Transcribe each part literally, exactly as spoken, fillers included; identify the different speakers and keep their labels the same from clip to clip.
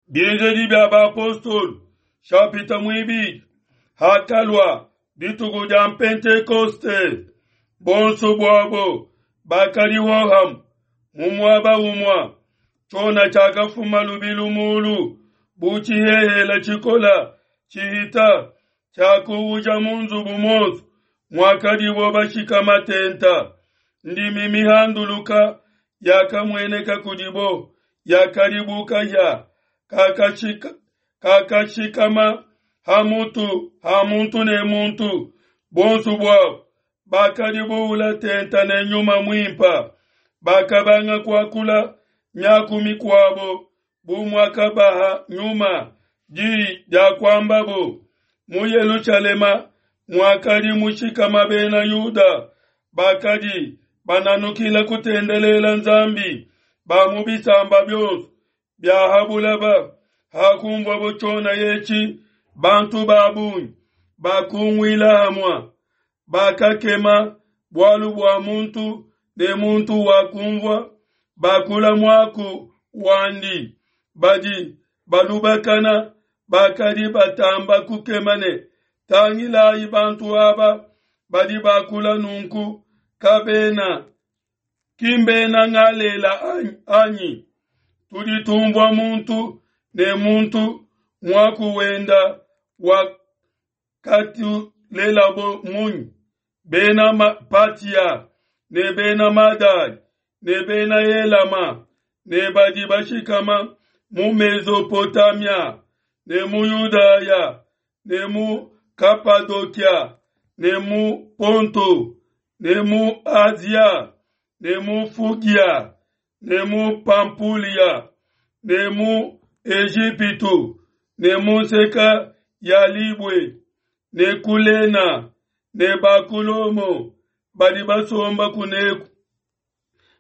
Speaker 1: Bienzedi bia bapostolo shapita muibidi hakalua dituku dia Pentekoste, bonso buabo bakadi hohamue mu muaba umue. Tshiona tshiakafuma lubilu mulu bu tshihehele tshikole tshihita, tshiakuuja mu nzubu muonso muakadibo bashikama tente. Ndimi mihanduluka yakamueneka kudibo, yakadi bu kahia kakashika kakashikama ha mutu ha muntu ne muntu. Bonso buabo bakadi buula tente ne Nyuma Muimpe, bakabanga kuakula miaku mikuabo bu muakabaha Nyuma diyi dia kuambabo. Mu Yelushalema muakadi mushikama Bena Yuda bakadi bananukila kutendelela Nzambi ba mu bisamba bionso bia ha bulaba. Hakunvuabo tshiona etshi, bantu ba bungi bakunguila hamue, bakakema bualu bua muntu ne muntu wakunvua bakula muaku wandi. Badi balubakana bakadi batamba kukema ne, tangilayi bantu aba badi bakula nunku kabena ki mbena Galela anyi? Tudi tumvua muntu ne muntu muaku wenda wakatulelabo munyi? Bena Patia ne bena Madai ne bena Elama ne badi bashikama mu Mesopotamia ne mu Yudaya ne mu Kapadokia ne mu Ponto ne mu Asia ne mu Fugia ne mu Pampulia ne mu Ejipitu ne mu nseka ya Libue ne Kulena ne ba ku Lomo badi basomba kuneku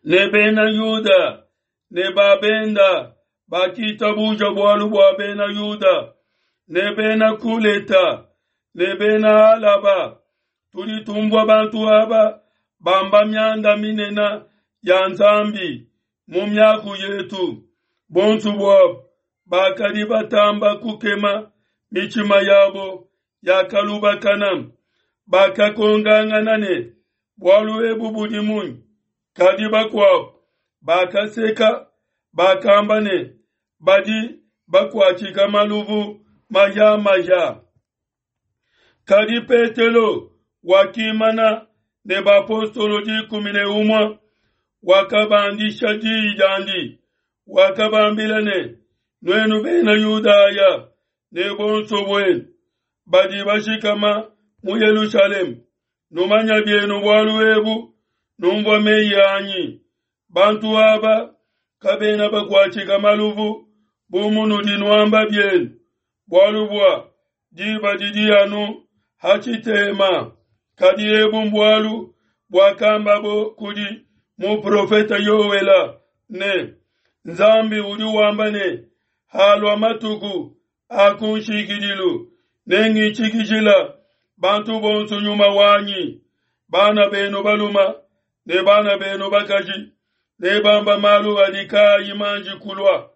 Speaker 1: ne bena Yuda ne ba benda bakitabuja bualu bua bena Yuda ne bena Kuleta ne bena Alaba. Tudi tumvua bantu aba bamba mianda minene ya Nzambi mu miaku yetu. Bonso buabo bakadi batamba kukema, mitshima yabo yakalubakana, bakakongangana ne, bualu ebu budi munyi? Kadi bakuabo bakaseka, bakamba ne, badi bakuatshika maluvu mahia-mahia. Kadi Petelo wakimana ne bapostolo dikumi ne umue, wakabandisha diyi diandi, wakabambila ne, nuenu bena Yudaya ne bonso buenu badi bashikama mu Yelushalema, numanya bienu bualu ebu, numvua meyi anyi. Bantu aba kabena bakuatshika maluvu bu munudi nuamba bienu, bualu bua diba didi anu ha tshitema. Kadi ebu mbualu buakambabo kudi muprofete Yoela ne, Nzambi udi wamba ne, halua matuku a kunshikidilu, nengitshikijila bantu bonso nyuma wanyi. Bana benu baluma ne bana benu bakaji ne bamba malu adi kaayi manji kulua.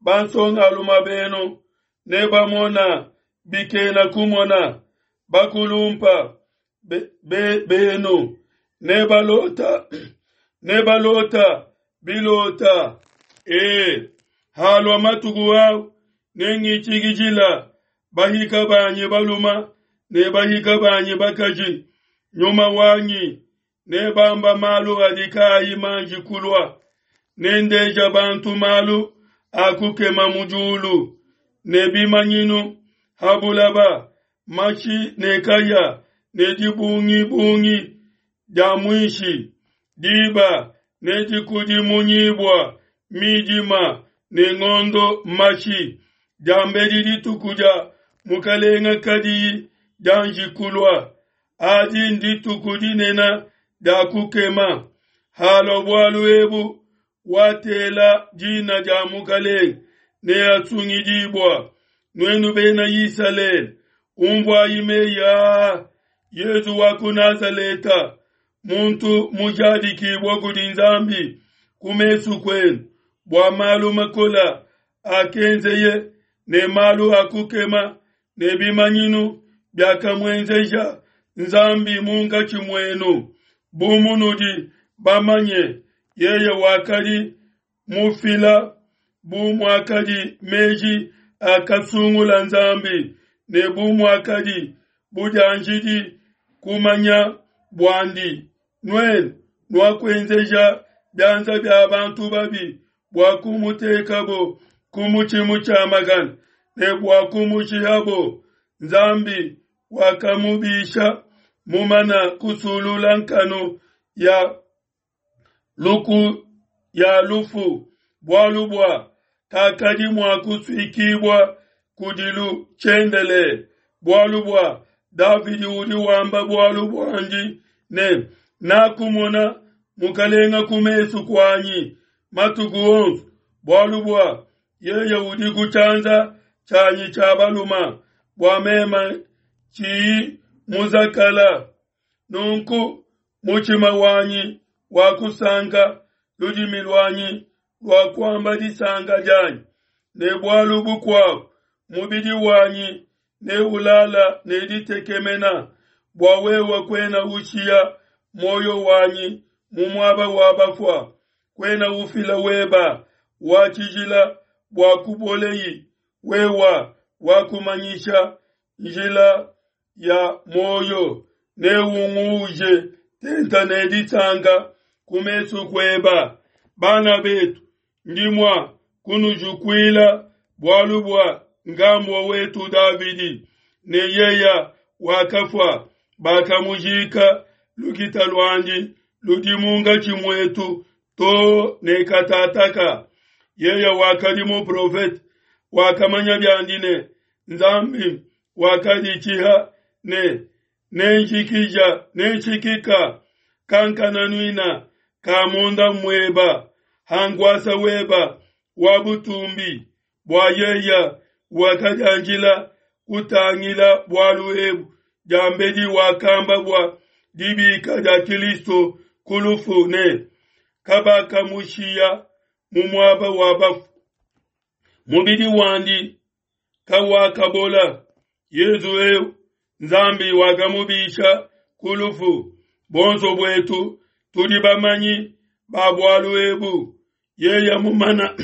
Speaker 1: Bansongaluma benu ne bamona bikena kumona, bakulumpa be, be, benu ne balota ne balota bilota. E, halua matuku au nengitshikijila bahika banyi baluma ne bahika banyi bakaji nyuma wanyi, ne bamba malu adi kaayi manji kulua. Nendeja bantu malu a kukema mu diulu ne bimanyinu ha bulaba, mashi ne kaya ne dibungibungi dia muishi. Diba ne dikudimunyibua midima ne ngondo mashi, diambedi dituku dia Mukalenga kadiyi dianji kulua. Adi ndituku dinene dia kukema. Halua bualu ebu, watela dina dia Mukalenga neasungidibua. Nuenu bena Isalele, umvuayi meyi aa: Yesu wa ku Nazaleta, muntu mujadikibua kudi Nzambi ku mesu kuenu bua malu makola akenzeye ne malu a kukema ne bimanyinu biakamuenzeja Nzambi munkatshi muenu, bu munudi bamanye, yeye wakadi mufila bu muakadi meji akasungula Nzambi ne bu muakadi budianjidi kumanya buandi, nuenu nuakuenzeja bianza bia bantu babi bua kumutekabo ku mutshi mutshiamakane ne bua kumushihabo. Nzambi wakamubisha mumana kusulula nkanu ya luku ya lufu, bualu bua kakadi mua kusuikibua kudilu tshiendelele. Bualu bua Davidi udi wamba bualu buandi ne, nakumona mukalenga ku mesu kuanyi matuku onso, bualu bua yeye udi ku tshianza tshianyi tshia baluma, bua mema tshiyi muzakala. Nunku mutshima wanyi wakusanka, ludimi luanyi luakuamba disanka dianyi, ne bualu bukuabu mubidi wanyi neulala ne ditekemena, bua wewe kuena ushiya muoyo wanyi mu muaba wa bafua, kuena ufila weba wa tshijila bua kuboleyi. Wewa wakumanyisha njila ya muoyo, neunguuje tenta ne disanka ku mesu kueba. Bana betu, ndi mua kunujukuila bualu bua ngambua wetu Davidi, ne yeya wakafua, bakamujika, lukita luandi ludi munkatshi muetu to ne katataka. Yeya wakadi muprofete, wakamanya biandi ne Nzambi wakaditshiha ne nenjikija nenshikika kankananuina ka munda mueba hanguasa weba wa butumbi, bua yeya wakadianjila kutangila bualu ebu diambedi wakamba bua dibika dia Kristo ku lufu ne kabakamushiya mu muaba wa bafu, mubidi wandi kawakabola. Yezu eu Nzambi wakamubisha ku lufu, bonso buetu tudi bamanyi ba bualu ebu. Yeye mumana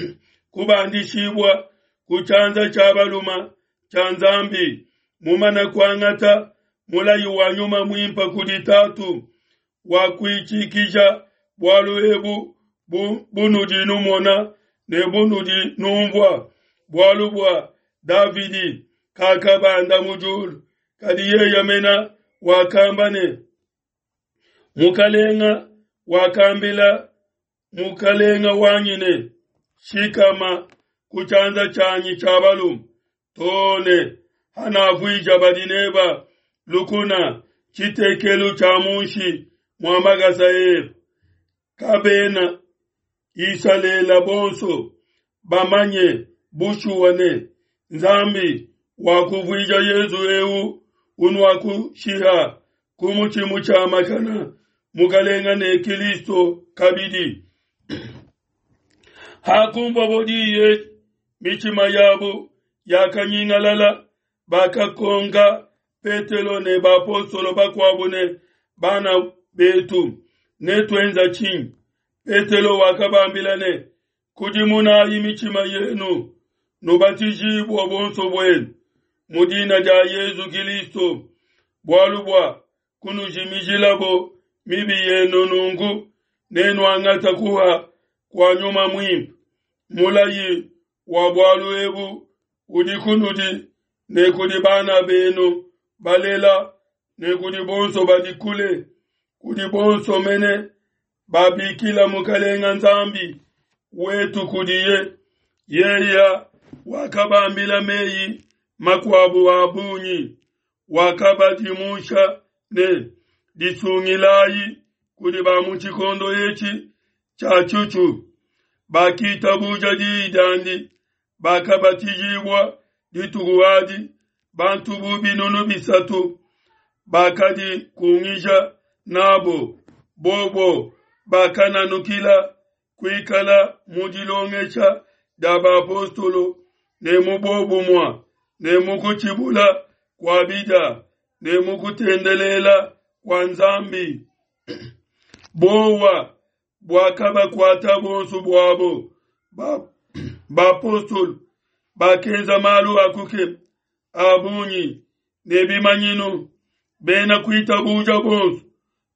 Speaker 1: kubandishibua ku tshianza tshia baluma tshia Nzambi, mumana kuangata mulayi wa nyuma muimpa kudi Tatu, wakuitshikija bualu ebu bu bunudi numona ne bunudi numvua. Bualu bua Davidi kakabanda mu diulu, kadi yeye mena wakamba ne, Mukalenga wakambila mukalenga wanyi ne, shikama ku tshianza tshianyi tshia balume too ne hanavuija badi neba lukuna tshitekelu tshia munshi mua makasa ebe. Kabena Isalela bonso bamanye bushuwa ne Nzambi wakuvuija Yezu eu unuakushiha ku mutshi mutshiamakana mukalenga ne Kristo kabidi. Hakumvua diyi mitshima yabo yakanyingalala, bakakonka Petelo ne bapostolo bakuabu ne, bana betu, netuenza tshinyi? Petelo wakabambila ne, kudimunayi mitshima yenu, nubatijibue bonso buenu mu dina dia Yezu Kristo, bualu bua kunujimijilabo mibi yenu, nunku nenuangata kuha kua nyuma muimpe. Mulayi wa bualu ebu udi kunudi ne kudi bana benu balela ne kudi bonso badi kule, kudi bonso mene babikila mukalenga Nzambi wetu kudiye. Yeya wakabambila meyi makuabu a bungi, wakabadimusha ne, disungilayi kudi ba mu tshikondo etshi tshia tshuthu. Bakitabuja diyi diandi, bakabatijibua dituku adi bantu bu binunu bisatu bakadikungija nabo. Bobo bakananukila kuikala mu dilongesha dia bapostolo ne mu bobumua, ne mu kutshibula kua bidia, ne mu kutendelela kua Nzambi. Bowa buakabakuata bonso buabo. Bapostolo bakenza malu a kukema a bungi ne bimanyinu. Bena kuitabuja bonso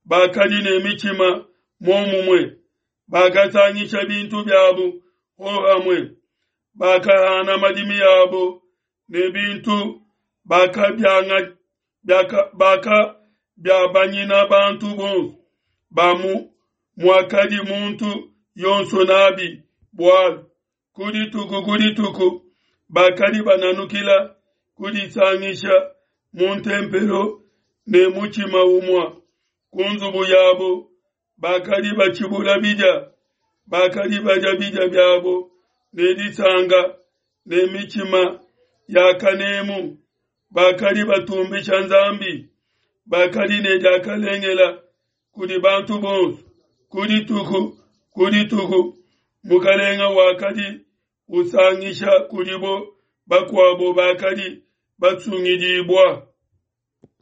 Speaker 1: bakadi ne mitshima muomumue, bakasangisha bintu biabo hohamue, bakahana madimi abo ne bintu bakabiabanyina bantu bonso ba mu muakadi muntu yonso nabi bualu. Ku dituku ku dituku bakadi bananukila kudisangisha mu ntempelo ne mutshima umue ku nzubu yabo bakadi batshibula bidia, bakadi badia bidia biabo ne disanka ne mitshima ya kanemu, bakadi batumbisha Nzambi, bakadi ne diakalengela kudi bantu bonso. Ku dituku ku dituku Mukalenga wakadi usangisha kudibo bakuabo bakadi basungidibua.